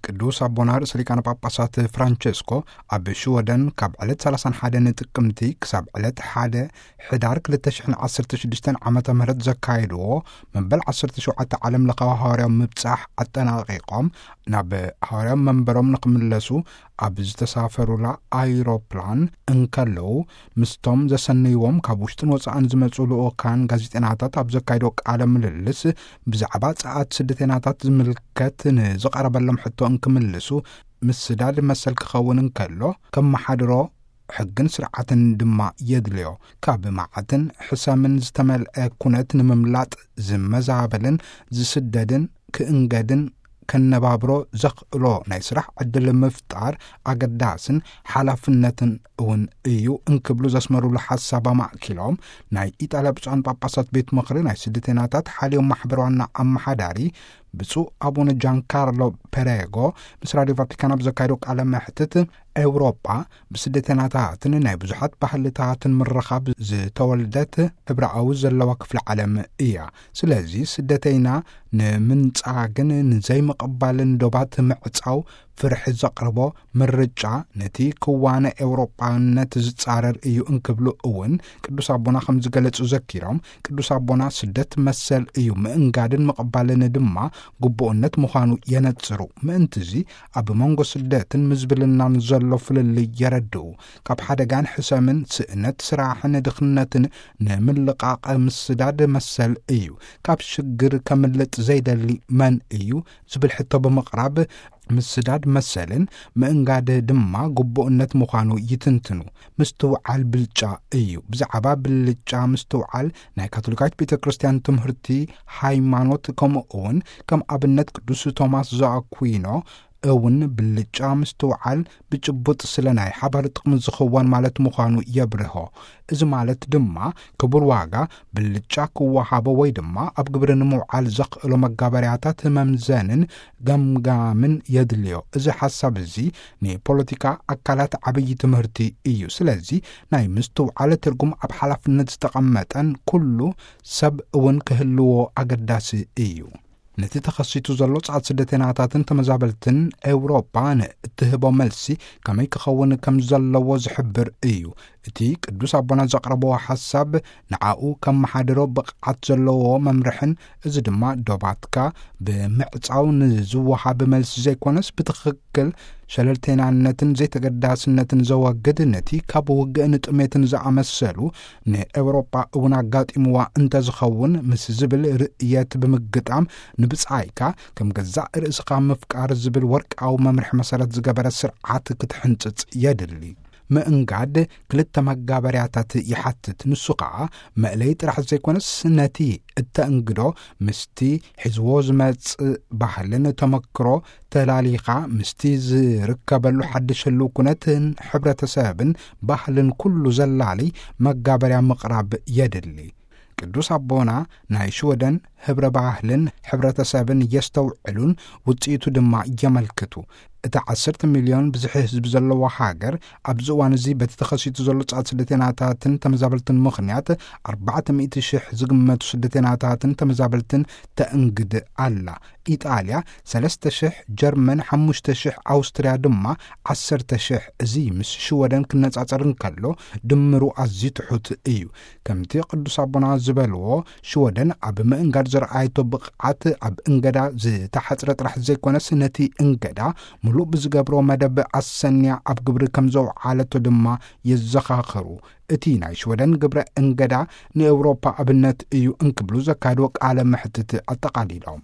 ቅዱስ ኣቦና ርእሰ ሊቃነ ጳጳሳት ፍራንቸስኮ ኣብ ሽወደን ካብ ዕለት ሰላሳን ሓደን ጥቅምቲ ክሳብ ዕለት ሓደ ሕዳር ክልተ ሽሕን ዓሰርተ ሽዱሽተን ዓመተ ምህረት ዘካየድዎ መበል ዓሰርተ ሸውዓተ ዓለም ለኻዊ ሃዋርያዊ ምብጻሕ ኣጠናቒቖም ናብ ሃዋርያዊ መንበሮም ንኽምለሱ ኣብ ዝተሳፈሩላ ኣይሮፕላን እንከለዉ፣ ምስቶም ዘሰነይዎም ካብ ውሽጥን ወጻእን ዝመጹ ልኡካን ጋዜጠናታት ኣብ ዘካየዶ ቃለ ምልልስ፣ ብዛዕባ ጸኣት ስደተናታት ዝምልከት ንዝቐረበሎም ሕቶ እንክምልሱ፣ ምስዳድ መሰል ክኸውን እንከሎ፣ ከመሓድሮ ሕግን ስርዓትን ድማ የድልዮ። ካብ መዓትን ሕሰምን ዝተመልአ ኩነት ንምምላጥ ዝመዛበልን ዝስደድን ክእንገድን ከነባብሮ ዘኽእሎ ናይ ስራሕ ዕድል ምፍጣር ኣገዳስን ሓላፍነትን እውን እዩ እንክብሉ ዘስመሩሉ ሓሳብ ኣማእኪሎም፣ ናይ ኢጣልያ ብፁዓን ጳጳሳት ቤት ምኽሪ ናይ ስደተናታት ሓልዮም ማሕበር ዋና ኣመሓዳሪ ብፁዕ ኣቡነ ጃንካርሎ ፐሬጎ ምስ ራድዮ ቫቲካን ኣብ ዘካየዶ ቃለ መሕትት፣ ኤውሮጳ ብስደተናታትን ናይ ብዙሓት ባህልታትን ምርኻብ ዝተወልደት ሕብረኣዊ ዘለዋ ክፍለ ዓለም እያ። ስለዚ ስደተይና ንምንጻግን ንዘይምቕባልን ዶባት ምዕጻው ፍርሒ ዘቕርቦ ምርጫ ነቲ ክዋነ ኤውሮጳነት ዝጻረር እዩ እንክብሉ እውን ቅዱስ ኣቦና ከም ዝገለጹ ዘኪሮም፣ ቅዱስ ኣቦና ስደት መሰል እዩ፣ ምእንጋድን ምቕባልን ድማ ግቡእነት ምዃኑ የነጽሩ። ምእንትዚ ኣብ መንጎ ስደትን ምዝብልናን ዘሎ ፍልልይ የረድኡ። ካብ ሓደጋን ሕሰምን ስእነት ስራሕን ድኽነትን ንምልቃቕ ምስዳድ መሰል እዩ። ካብ ሽግር ከምልጥ ዘይደሊ መን እዩ ዝብል ሕቶ ብምቕራብ፣ ምስዳድ መሰልን ምእንጋድ ድማ ግቡእነት ምዃኑ ይትንትኑ። ምስትውዓል ብልጫ እዩ። ብዛዕባ ብልጫ ምስትውዓል ናይ ካቶሊካዊት ቤተ ክርስቲያን ትምህርቲ ሃይማኖት፣ ከምኡ እውን ከም ኣብነት ቅዱስ ቶማስ ዘኣኩዊኖ እውን ብልጫ ምስትውዓል ብጭቡጥ ስለ ናይ ሓባር ጥቕሚ ዝኽወን ማለት ምዃኑ የብርሆ። እዚ ማለት ድማ ክቡር ዋጋ ብልጫ ክወሃቦ ወይ ድማ ኣብ ግብሪ ንምውዓል ዘኽእሎ መጋበርያታት መምዘንን ገምጋምን የድልዮ። እዚ ሓሳብ እዚ ንፖለቲካ ኣካላት ዓብዪ ትምህርቲ እዩ። ስለዚ ናይ ምስትውዓል ትርጉም ኣብ ሓላፍነት ዝተቐመጠን ኩሉ ሰብ እውን ክህልዎ ኣገዳሲ እዩ። ነቲ ተኸሲቱ ዘሎ ጸዓት ስደተናታትን ተመዛበልትን ኤውሮጳ ንእትህቦ መልሲ ከመይ ክኸውን ከም ዘለዎ ዝሕብር እዩ። እቲ ቅዱስ ኣቦና ዘቕረብዎ ሓሳብ ንዓኡ ከመሓድሮ ብቕዓት ዘለዎ መምርሕን፣ እዚ ድማ ዶባትካ ብምዕጻው ንዝወሃብ መልሲ ዘይኮነስ፣ ብትኽክል ሸለልተይናነትን ዘይተገዳስነትን ዘወግድ፣ ነቲ ካብ ውግእን ጥሜትን ዝኣመሰሉ ንኤውሮጳ እውን ኣጋጢምዋ እንተዝኸውን ምስ ዝብል ርእየት ብምግጣም፣ ንብጻይካ ከም ገዛእ ርእስኻ ምፍቃር ዝብል ወርቃዊ መምርሒ መሰረት ዝገበረ ስርዓት ክትሕንጽጽ የድሊ። ምእንጋድ ክልተ መጋበርያታት ይሓትት። ንሱ ኸኣ መእለዪ ጥራሕ ዘይኮነስ፣ ነቲ እተእንግዶ ምስቲ ሒዝዎ ዝመጽእ ባህልን ተመክሮ ተላሊኻ፣ ምስቲ ዝርከበሉ ሓድሽ ህልው ኩነትን ሕብረተሰብን ባህልን ኩሉ ዘላሊ መጋበርያ ምቕራብ የድሊ። ቅዱስ ኣቦና ናይ ሽወደን ህብረ ባህልን ሕብረተሰብን የስተውዕሉን ውጽኢቱ ድማ የመልክቱ። እታ ዓሰርተ ሚልዮን ብዝሒ ህዝቢ ዘለዋ ሃገር ኣብዚ እዋን እዚ በቲ ተኸሲቱ ዘሎ ጻዕት ስደተናታትን ተመዛበልትን ምኽንያት ኣርባዕተ ሚእቲ ሽሕ ዝግመቱ ስደተናታትን ተመዛበልትን ተእንግድ ኣላ። ኢጣልያ ሰለስተ ሽሕ፣ ጀርመን ሓሙሽተ ሽሕ፣ ኣውስትርያ ድማ ዓሰርተ ሽሕ። እዚ ምስ ሽወደን ክነጻጸር እንከሎ ድምሩ ኣዝዩ ትሑት እዩ። ከምቲ ቅዱስ ኣቦና ዝበልዎ፣ ሽወደን ኣብ ምእንጋድ ዘርኣየቶ ብቕዓት ኣብ እንገዳ ዝተሓጽረ ጥራሕ ዘይኮነስ፣ ነቲ እንገዳ ምሉእ ብዝገብሮ መደብ ኣሰንያ ኣብ ግብሪ ከም ዘውዓለቶ ድማ የዘኻኽሩ። እቲ ናይ ሽወደን ግብረ እንገዳ ንኤውሮፓ ኣብነት እዩ እንክብሉ ዘካየድዎ ቃለ መሕትት ኣጠቓሊሎም።